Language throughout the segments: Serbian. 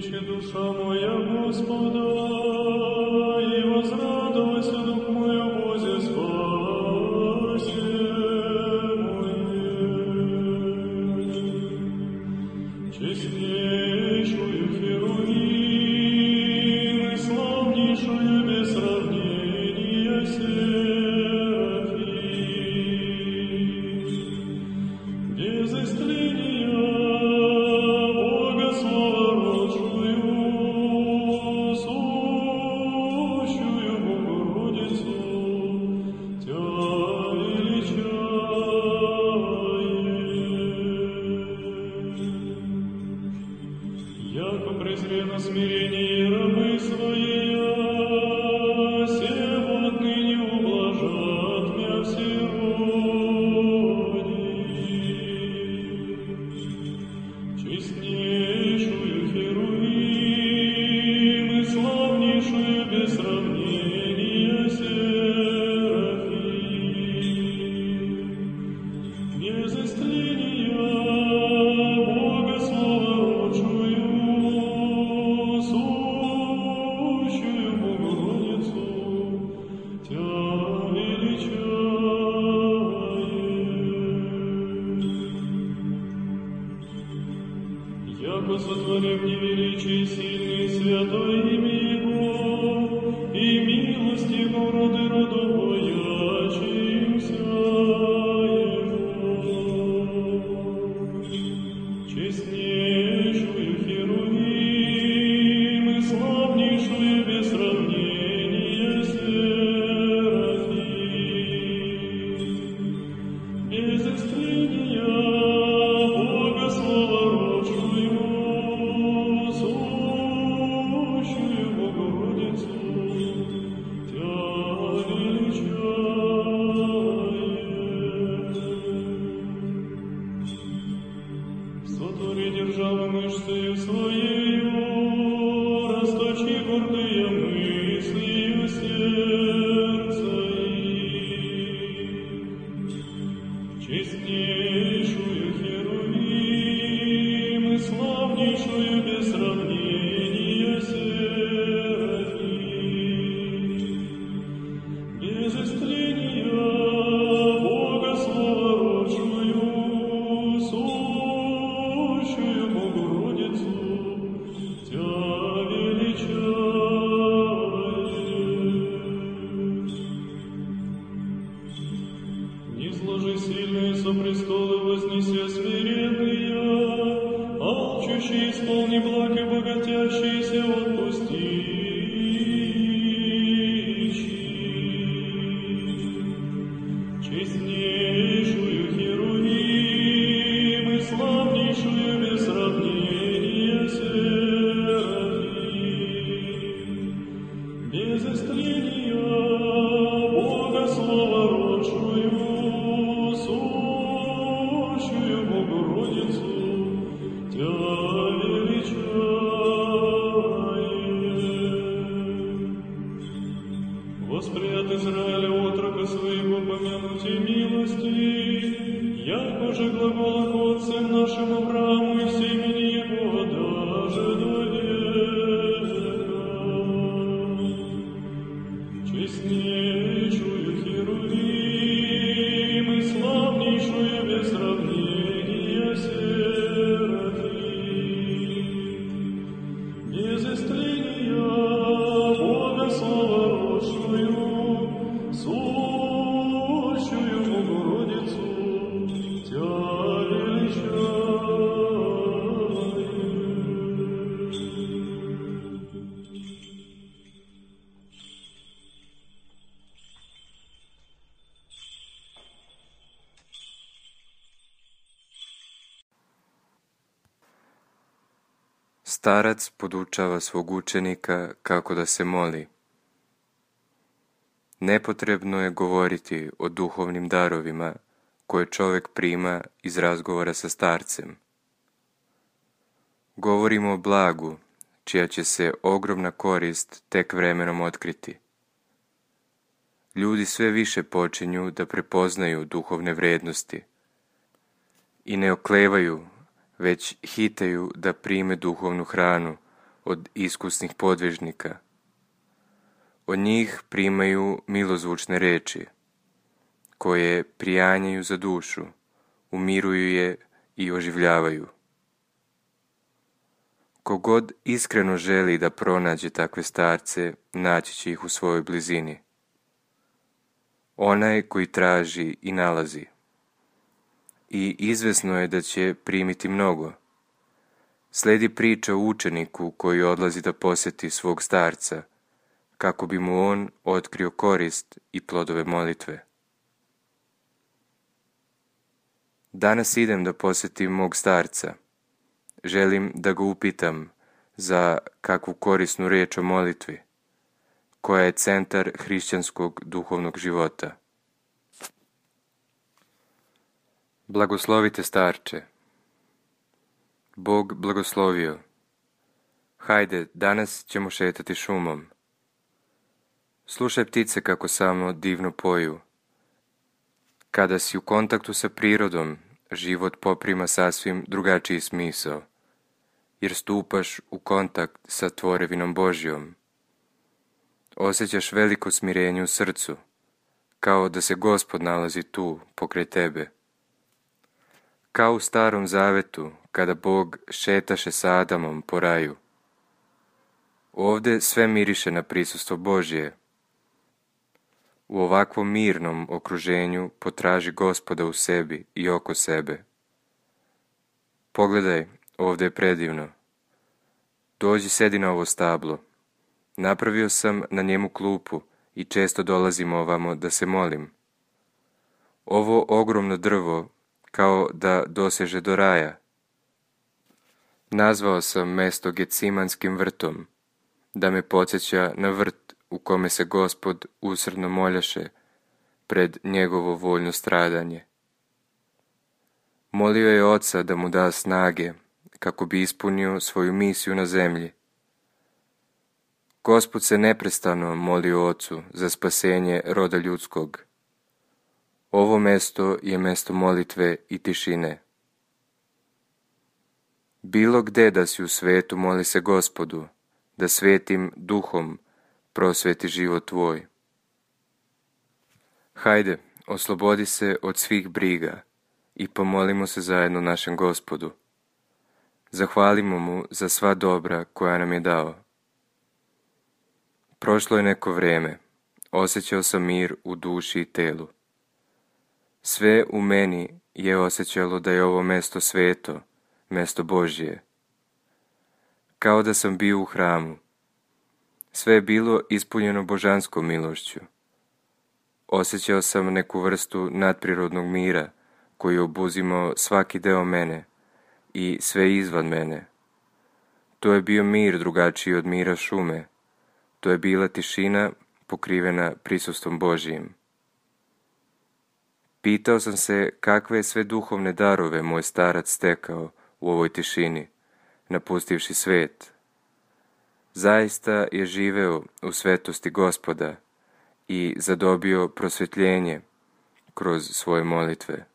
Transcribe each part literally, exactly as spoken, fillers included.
Величи душа моя Господа, и возрадовайся дух мой о Бозе спасе моей. Честнейшую Херувим и славнейшую без сравнения Серафим, без истления Бога словородшую, сущую Богородицу, Тя величаем. Яко презрено смирение рабы своей, сего отныне ублажат мя все роди. Честнейшую Херувим и славнейшую без сравнения Серафим, без истления Бога словородшую, сущую Богородицу, Тя величаем. Яко сотворим невеличие сильный святой имя Его, и милость Его роды роду боячимся Его. Честнейшую Херувим и славнейшую без сравнения Серафим, без истления Бога словородшую, сущую Богородицу, Тя величаем. Сотвори державу мышцею своею, расточи гордые мыслью сердца их. Честнейшую Херувим и славнейшую без сравнения Серафим, без истления Бога словородшую, сущую Богородицу, Тя величаем. Не сложи сильные со престолы, вознеся смиренные, алчущие исполни благ и богатящиеся отпусти. Честнейшую Херувим и славнейшую без сравнения Серафим, без истления Бога словородшую, сущую Богородицу, Тя величаем. Воспрят Израиля отрока своего помянуте милости, яко же глагола отцем нашим Аврааму и семени его даже до века. Честнейшую Херувим и славнейшую без сравнения Серафим, без истления Бога словородшую, сущую Богородицу, Тя Starac podučava svog učenika kako da se moli. Nepotrebno je govoriti o duhovnim darovima koje čovjek prima iz razgovora sa starcem. Govorimo o blagu, čija će se ogromna korist tek vremenom otkriti. Ljudi sve više počinju da prepoznaju duhovne vrednosti i ne oklevaju, već hitaju da prime duhovnu hranu od iskusnih podvižnika. Od njih primaju milozvučne reči, koje prijanjaju za dušu, umiruju je i oživljavaju. Kogod iskreno želi da pronađe takve starce, naći će ih u svojoj blizini. Onaj koji traži i nalazi. I izvesno je da će primiti mnogo. Sledi priča o učeniku koji odlazi da posjeti svog starca, kako bi mu on otkrio korist i plodove molitve. Danas idem da posjetim mog starca. Želim da ga upitam za kakvu korisnu riječ o molitvi, koja je centar hrišćanskog duhovnog života. Blagoslovite starče. Bog blagoslovio. Hajde, danas ćemo šetati šumom. Slušaj ptice kako samo divno poju. Kada si u kontaktu sa prirodom, život poprima sasvim drugačiji smisao, jer stupaš u kontakt sa tvorevinom Božjom. Osjećaš veliko smirenje u srcu, kao da se Gospod nalazi tu, pokraj tebe. Kao u Starom Zavetu, kada Bog šetaše sa Adamom po raju. Ovde sve miriše na prisustvo Božje. U ovakvom mirnom okruženju potraži Gospoda u sebi i oko sebe. Pogledaj, ovde je predivno. Dođi, sedi na ovo stablo. Napravio sam na njemu klupu i često dolazim ovamo da se molim. Ovo ogromno drvo kao da doseže do raja. Nazvao sam mesto Gecimanskim vrtom, da me podsjeća na vrt u kome se Gospod usrdno moljaše pred njegovo voljno stradanje. Molio je Oca da mu da snage kako bi ispunio svoju misiju na zemlji. Gospod se neprestano molio Ocu za spasenje roda ljudskog. Ovo mesto je mesto molitve i tišine. Bilo gde da si u svetu, moli se Gospodu, da svetim duhom prosveti život tvoj. Hajde, oslobodi se od svih briga i pomolimo se zajedno našem Gospodu. Zahvalimo mu za sva dobra koja nam je dao. Prošlo je neko vreme, osjećao sam mir u duši i telu. Sve u meni je osjećalo da je ovo mesto sveto, mesto Božje. Kao da sam bio u hramu. Sve je bilo ispunjeno božanskom milošću. Osjećao sam neku vrstu nadprirodnog mira koji je obuzimao svaki deo mene i sve izvan mene. To je bio mir drugačiji od mira šume. To je bila tišina pokrivena prisustvom Božjim. Pitao sam se kakve je sve duhovne darove moj starac stekao u ovoj tišini, napustivši svet. Zaista je živeo u svetosti Gospoda i zadobio prosvjetljenje kroz svoje molitve.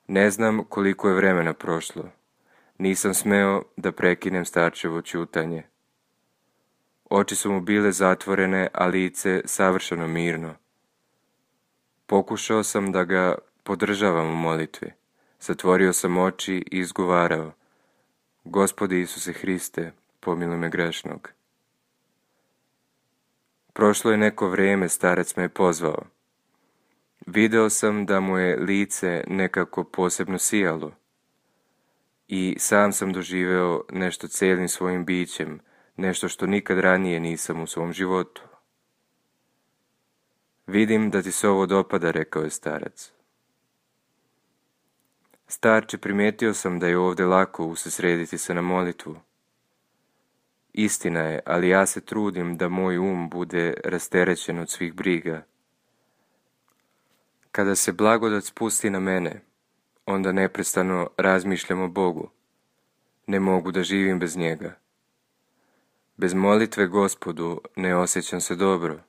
Ne znam koliko je vremena prošlo. Nisam smeo da prekinem starčevo ćutanje. Oči su mu bile zatvorene, a lice savršeno mirno. Pokušao sam da ga podržavam u molitvi. Zatvorio sam oči i izgovarao: Gospodi Isuse Hriste, pomiluj me grešnog. Prošlo je neko vrijeme, starac me je pozvao. Video sam da mu je lice nekako posebno sijalo i sam sam doživeo nešto cijelim svojim bićem, nešto što nikad ranije nisam u svom životu. Vidim da ti se ovo dopada, rekao je starac. Starče, primijetio sam da je ovdje lako usredsrediti se na molitvu. Istina je, ali ja se trudim da moj um bude rasterećen od svih briga. Kada se blagodat spusti na mene, onda neprestano razmišljam o Bogu. Ne mogu da živim bez njega. Bez molitve Gospodu ne osjećam se dobro.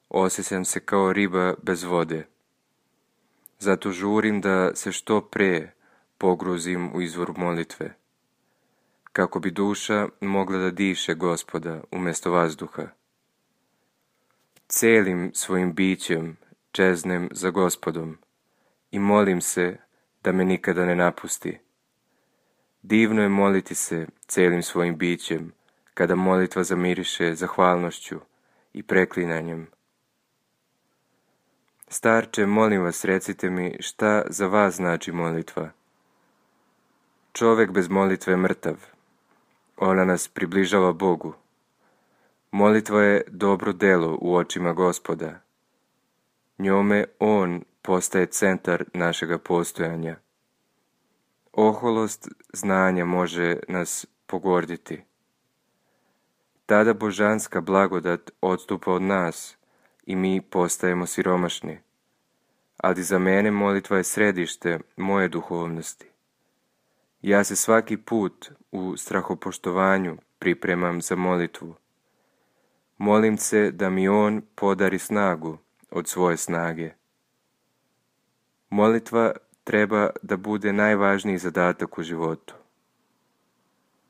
Osjećam se kao riba bez vode. Zato žurim da se što pre pogruzim u izvor molitve. kako bi duša mogla da diše Gospoda umjesto vazduha. Celim svojim bićem čeznem za Gospodom i molim se da me nikada ne napusti. Divno je moliti se celim svojim bićem, kada molitva zamiriše zahvalnošću i preklinanjem. Starče, molim vas, recite mi šta za vas znači molitva. Čovjek bez molitve je mrtav. Ona nas približava Bogu. Molitva je dobro delo u očima Gospoda. Njome On postaje centar našega postojanja. Oholost znanja može nas pogorditi. Tada božanska blagodat odstupa od nas i mi postajemo siromašni. Ali za mene molitva je središte moje duhovnosti. Ja se svaki put u strahopoštovanju pripremam za molitvu. Molim se da mi On podari snagu od svoje snage. Molitva treba da bude najvažniji zadatak u životu.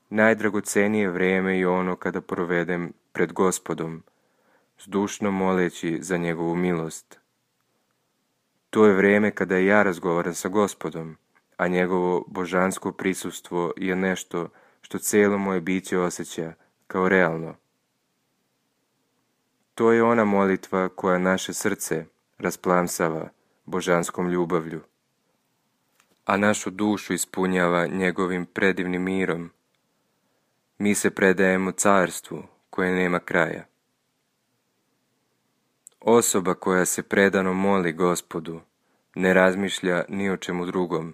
Najdragocenije vrijeme je ono kada provedem pred Gospodom, zdušno moleći za njegovu milost. To je vrijeme kada ja razgovaram sa Gospodom, a njegovo božansko prisustvo je nešto što cijelo moje biće osjeća kao realno. To je ona molitva koja naše srce rasplamsava božanskom ljubavlju, a našu dušu ispunjava njegovim predivnim mirom. Mi se predajemo carstvu koje nema kraja. Osoba koja se predano moli Gospodu ne razmišlja ni o čemu drugom.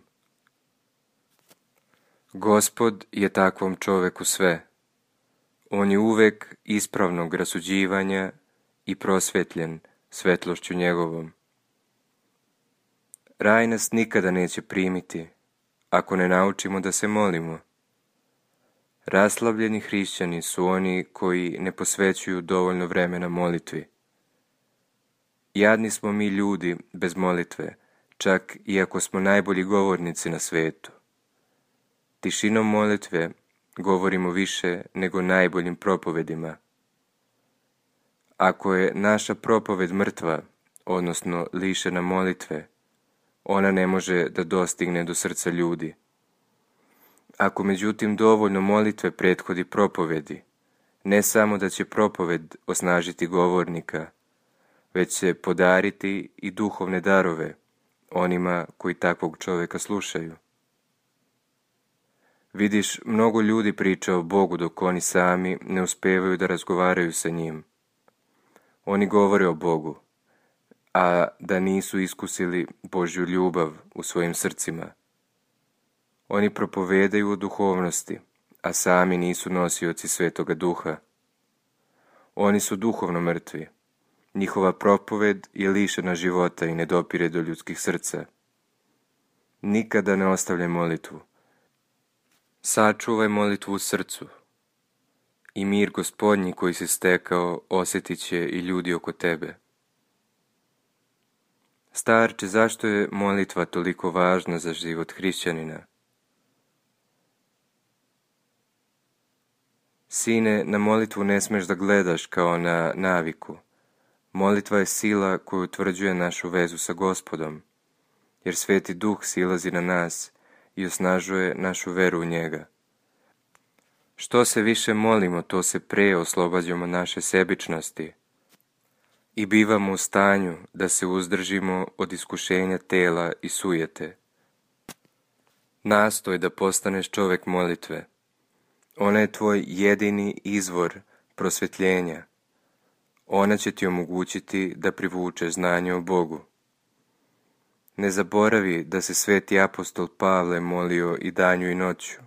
Gospod je takvom čoveku sve. On je uvek ispravnog rasuđivanja i prosvetljen svetlošću njegovom. Raj nas nikada neće primiti ako ne naučimo da se molimo. Raslavljeni hrišćani su oni koji ne posvećuju dovoljno vremena molitvi. Jadni smo mi ljudi bez molitve, čak i ako smo najbolji govornici na svetu. Tišinom molitve govorimo više nego najboljim propovedima. Ako je naša propoved mrtva, odnosno lišena molitve, ona ne može da dostigne do srca ljudi. Ako međutim dovoljno molitve prethodi propovedi, ne samo da će propoved osnažiti govornika, već će podariti i duhovne darove onima koji takvog čovjeka slušaju. Vidiš, mnogo ljudi priča o Bogu dok oni sami ne uspevaju da razgovaraju sa njim. Oni govore o Bogu, a da nisu iskusili Božju ljubav u svojim srcima. Oni propovedaju o duhovnosti, a sami nisu nosioci Svetoga Duha. Oni su duhovno mrtvi. Njihova propoved je lišena života i ne dopire do ljudskih srca. Nikada ne ostavljaj molitvu. Sačuvaj molitvu u srcu. I mir Gospodnji koji se stekao osjetit će i ljudi oko tebe. Starče, zašto je molitva toliko važna za život hrišćanina? Sine, na molitvu ne smeš da gledaš kao na naviku. Molitva je sila koju utvrđuje našu vezu sa Gospodom, jer Sveti Duh silazi na nas i osnažuje našu veru u njega. Što se više molimo, to se pre oslobađamo naše sebičnosti i bivamo u stanju da se uzdržimo od iskušenja tela i sujete. Nastoj da postaneš čovjek molitve. Ona je tvoj jedini izvor prosvetljenja. Ona će ti omogućiti da privučeš znanje o Bogu. Ne zaboravi da se sveti apostol Pavle molio i danju i noću.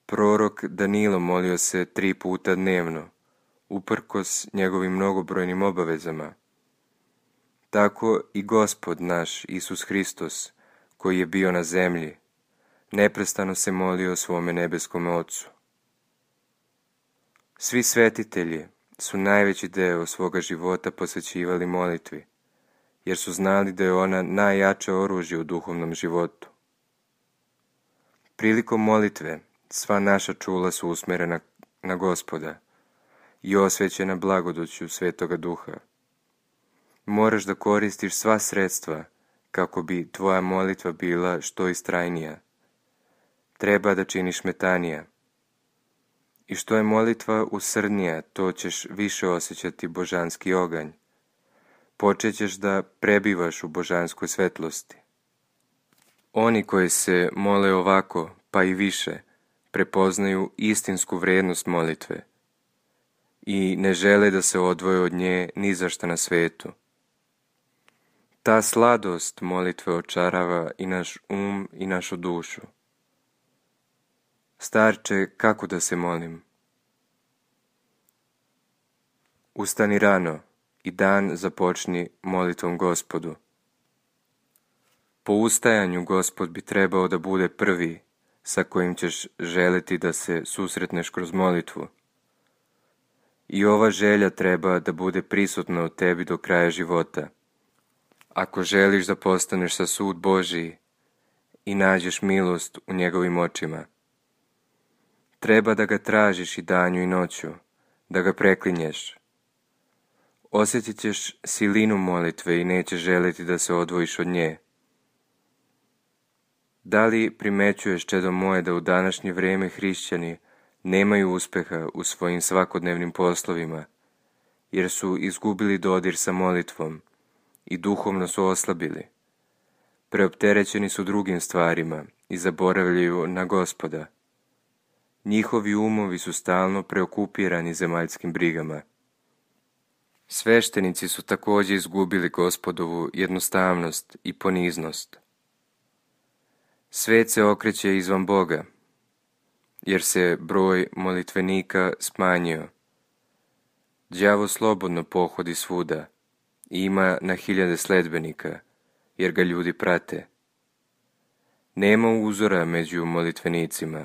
Prorok Danilo molio se tri puta dnevno, uprkos njegovim mnogobrojnim obavezama. Tako i Gospod naš Isus Hristos, koji je bio na zemlji, neprestano se molio svome nebeskom Ocu. Svi svetitelji su najveći deo svoga života posvećivali molitvi, jer su znali da je ona najjače oružje u duhovnom životu. Prilikom molitve sva naša čula su usmjerena na Gospoda i osvećena blagodoću Svetoga Duha. Moraš da koristiš sva sredstva kako bi tvoja molitva bila što istrajnija. Treba da činiš metanija. I što je molitva usrdnija, to ćeš više osjećati božanski oganj. Počećeš da prebivaš u božanskoj svetlosti. Oni koji se mole ovako, pa i više, prepoznaju istinsku vrijednost molitve i ne žele da se odvoje od nje ni za šta na svetu. Ta sladost molitve očarava i naš um i našu dušu. Starče, kako da se molim? Ustani rano i dan započni molitvom Gospodu. Po ustajanju Gospod bi trebao da bude prvi sa kojim ćeš želiti da se susretneš kroz molitvu. I ova želja treba da bude prisutna u tebi do kraja života. Ako želiš da postaneš sa sud Božiji i nađeš milost u njegovim očima, treba da ga tražiš i danju i noću, da ga preklinješ. Osjetit ćeš silinu molitve i nećeš želiti da se odvojiš od nje. Da li primećuješ, čedo moje, da u današnje vrijeme hrišćani nemaju uspeha u svojim svakodnevnim poslovima, jer su izgubili dodir sa molitvom i duhovno su oslabili. Preopterećeni su drugim stvarima i zaboravljaju na Gospoda. Njihovi umovi su stalno preokupirani zemaljskim brigama. Sveštenici su također izgubili Gospodovu jednostavnost i poniznost. Svet se okreće izvan Boga, jer se broj molitvenika smanjio. Đavo slobodno pohodi svuda i ima na hiljade sledbenika, jer ga ljudi prate. Nema uzora među molitvenicima.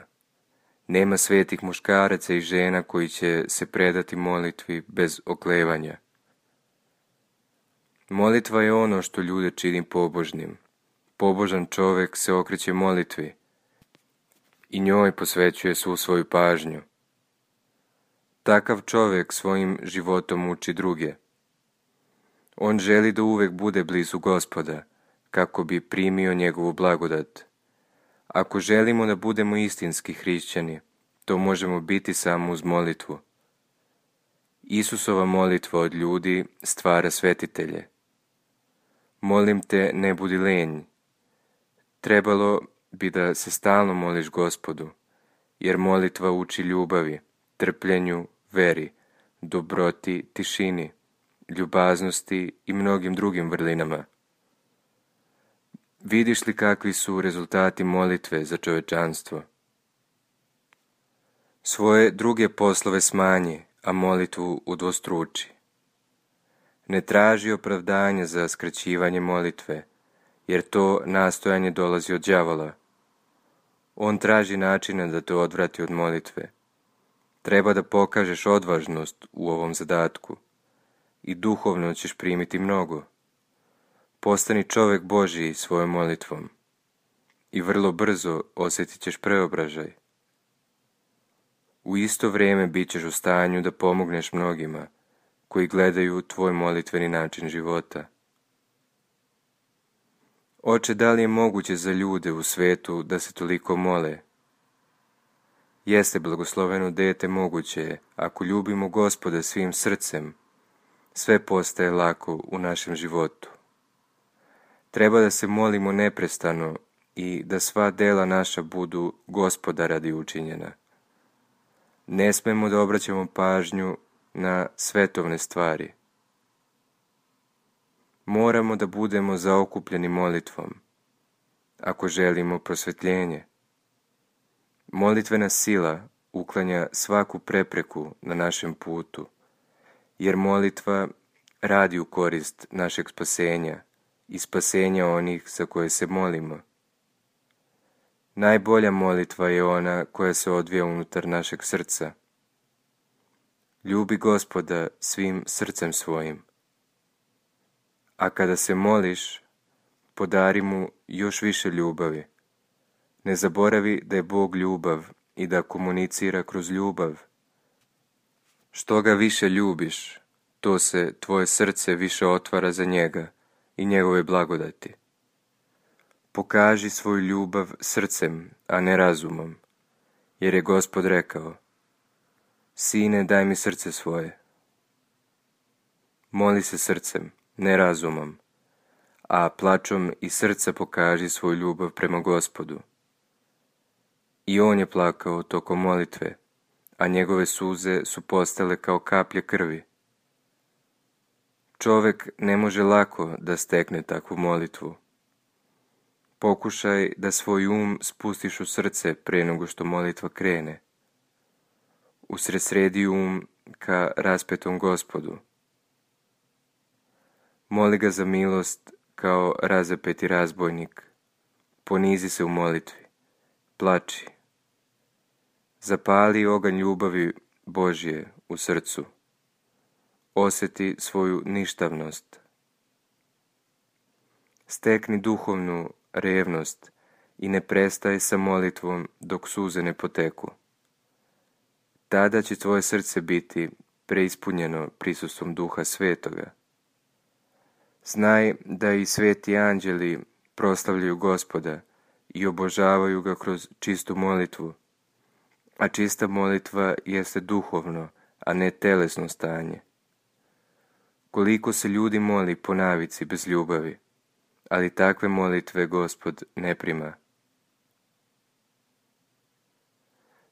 Nema svetih muškaraca i žena koji će se predati molitvi bez oklevanja. Molitva je ono što ljude čini pobožnim. Pobožan čovjek se okreće molitvi i njoj posvećuje svu svoju pažnju. Takav čovjek svojim životom uči druge. On želi da uvek bude blizu Gospoda, kako bi primio njegovu blagodat. Ako želimo da budemo istinski hrišćani, to možemo biti samo uz molitvu. Isusova molitva od ljudi stvara svetitelje. Molim te, ne budi lenj. Trebalo bi da se stalno moliš Gospodu, jer molitva uči ljubavi, trpljenju, veri, dobroti, tišini, ljubaznosti i mnogim drugim vrlinama. Vidiš li kakvi su rezultati molitve za čovečanstvo? Svoje druge poslove smanji, a molitvu udvostruči. Ne traži opravdanje za skraćivanje molitve, jer to nastojanje dolazi od đavola. On traži načina da te odvrati od molitve. Treba da pokažeš odvažnost u ovom zadatku i duhovno ćeš primiti mnogo. Postani čovjek Božiji svojom molitvom i vrlo brzo osjetit ćeš preobražaj. U isto vrijeme bit ćeš u stanju da pomogneš mnogima koji gledaju tvoj molitveni način života. Oče, da li je moguće za ljude u svetu da se toliko mole? Jeste, blagosloveno dete, moguće je, ako ljubimo Gospoda svim srcem, sve postaje lako u našem životu. Treba da se molimo neprestano i da sva dela naša budu Gospoda radi učinjena. Ne smemo da obraćamo pažnju na svetovne stvari. Moramo da budemo zaokupljeni molitvom, ako želimo prosvetljenje. Molitvena sila uklanja svaku prepreku na našem putu, jer molitva radi u korist našeg spasenja i spasenja onih za koje se molimo. Najbolja molitva je ona koja se odvija unutar našeg srca. Ljubi Gospoda svim srcem svojim. A kada se moliš, podari mu još više ljubavi. Ne zaboravi da je Bog ljubav i da komunicira kroz ljubav. Što ga više ljubiš, to se tvoje srce više otvara za njega i njegove blagodati. Pokaži svoju ljubav srcem, a ne razumom, jer je Gospod rekao: Sine, daj mi srce svoje. Moli se srcem, ne razumom, a plačom i srca pokaži svoju ljubav prema Gospodu. I on je plakao tokom molitve, a njegove suze su postale kao kaplje krvi. Čovjek ne može lako da stekne takvu molitvu. Pokušaj da svoj um spustiš u srce pre nego što molitva krene. Usredsredi um ka raspetom Gospodu. Moli ga za milost kao razapeti razbojnik. Ponizi se u molitvi. Plači. Zapali oganj ljubavi Božje u srcu. Osjeti svoju ništavnost. Stekni duhovnu revnost i ne prestaj sa molitvom dok suze ne poteku. Tada će tvoje srce biti preispunjeno prisustvom Duha Svetoga. Znaj da i sveti anđeli proslavljaju Gospoda i obožavaju ga kroz čistu molitvu, a čista molitva jeste duhovno, a ne telesno stanje. Koliko se ljudi moli po navici bez ljubavi, ali takve molitve Gospod ne prima.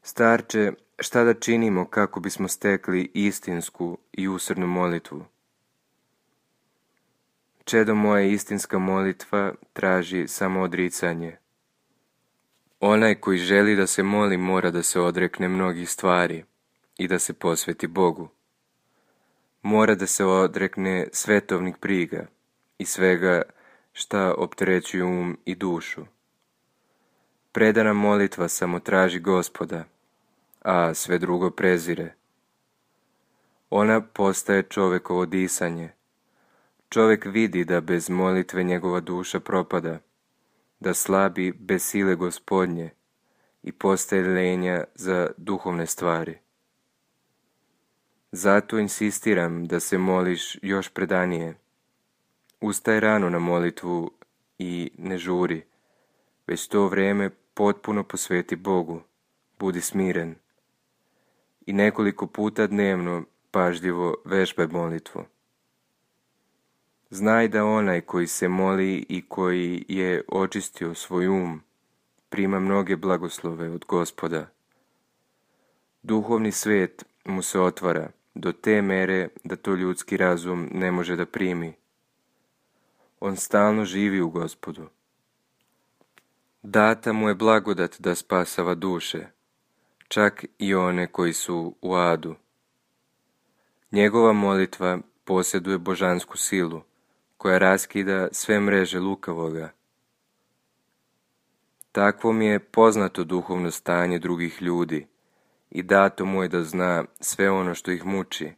Starče, šta da činimo kako bismo stekli istinsku i usrdnu molitvu? Čedo moje, istinska molitva traži samo odricanje. Onaj koji želi da se moli mora da se odrekne mnogih stvari i da se posveti Bogu. Mora da se odrekne svetovnih briga i svega šta opterećuju um i dušu. Predana molitva samo traži Gospoda, a sve drugo prezire. Ona postaje čovekovo disanje. Čovjek vidi da bez molitve njegova duša propada, da slabi bez sile Gospodnje i postaje lenja za duhovne stvari. Zato insistiram da se moliš još predanije. Ustaj rano na molitvu i ne žuri, već to vrijeme potpuno posveti Bogu, budi smiren. I nekoliko puta dnevno pažljivo vežbaj molitvu. Znaj da onaj koji se moli i koji je očistio svoj um, prima mnoge blagoslove od Gospoda. Duhovni svijet mu se otvara do te mere da to ljudski razum ne može da primi. On stalno živi u Gospodu. Data mu je blagodat da spasava duše, čak i one koji su u adu. Njegova molitva posjeduje božansku silu, koja raskida sve mreže lukavoga. Takvo mi je poznato duhovno stanje drugih ljudi i dato mu je da zna sve ono što ih muči.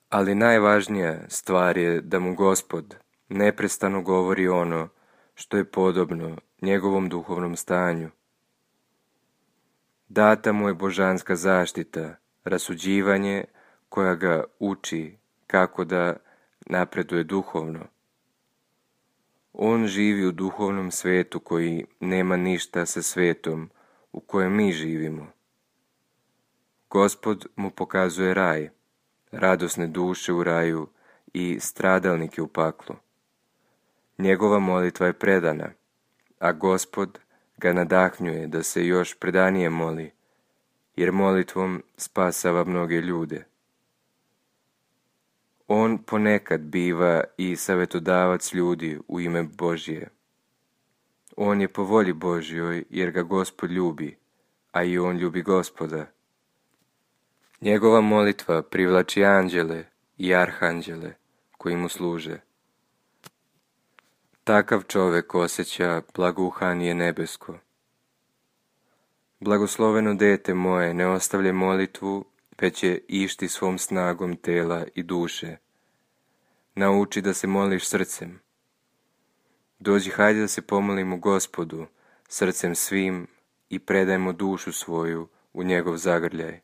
Ali najvažnija stvar je da mu Gospod neprestano govori ono što je podobno njegovom duhovnom stanju. Data mu je božanska zaštita, rasuđivanje koja ga uči kako da napreduje duhovno. On živi u duhovnom svetu koji nema ništa sa svetom u kojem mi živimo. Gospod mu pokazuje raj, radosne duše u raju i stradalnike u paklu. Njegova molitva je predana, a Gospod ga nadahnjuje da se još predanije moli, jer molitvom spasava mnoge ljude. On ponekad biva i savjetodavac ljudi u ime Božje. On je po volji Božjoj jer ga Gospod ljubi, a i on ljubi Gospoda. Njegova molitva privlači anđele i arhanđele koji mu služe. Takav čovjek osjeća blagouhanje nebesko. Blagosloveno dete moje, ne ostavljaj molitvu, već je išti svom snagom tela i duše. Nauči da se moliš srcem. Dođi, hajde da se pomolimo Gospodu, srcem svim, i predajmo dušu svoju u njegov zagrljaj,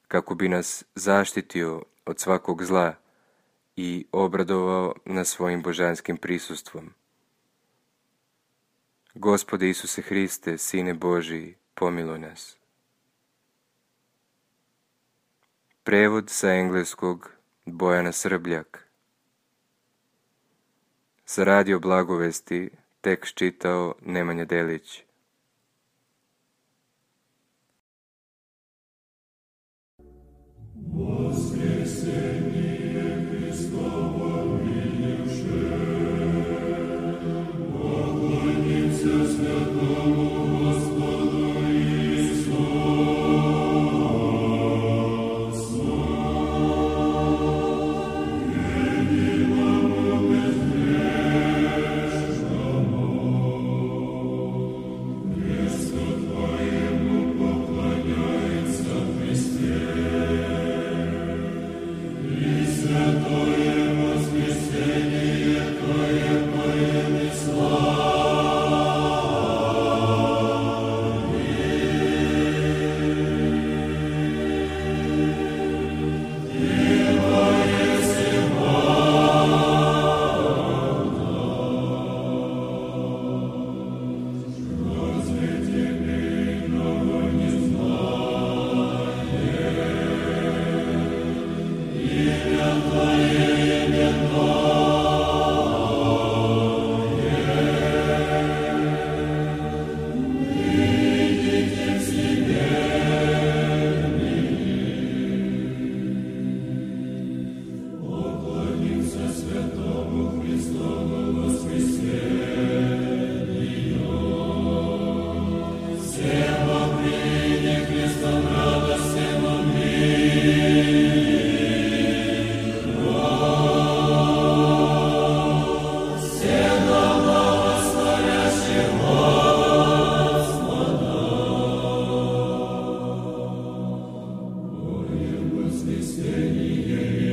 kako bi nas zaštitio od svakog zla i obradovao nas svojim božanskim prisustvom. Gospode Isuse Hriste, Sine Božiji, pomiluj nas. Prevod sa engleskog Bojana Srbljak. Za radio Blagovesti tekst čitao Nemanja Delić. Stay